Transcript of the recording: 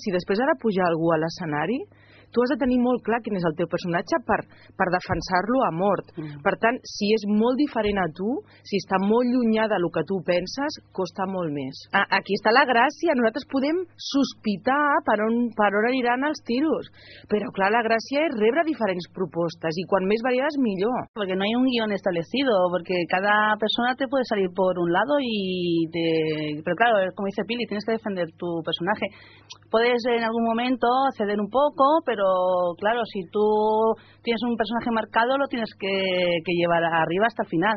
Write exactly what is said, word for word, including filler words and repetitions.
Si després ha de pujar algú a l'escenari, tu has de tenir molt clar quin és el teu personatge per, per defensar-lo a mort. Mm. Per tant, si és molt diferent a tu, si està molt llunyà del que tu penses, costa molt més. A, aquí està la gràcia, nosaltres podem sospitar per on, per on aniran els tiros, però clar, la gràcia és rebre diferents propostes, i quan més variades millor. Porque no hay un guión establecido, porque cada persona te puede salir por un lado y te... Pero claro, como dice Pili, tienes que defender tu personaje. Puedes en algún momento ceder un poco, pero claro, si tú tienes un personaje marcado, lo tienes que, que llevar arriba hasta el final.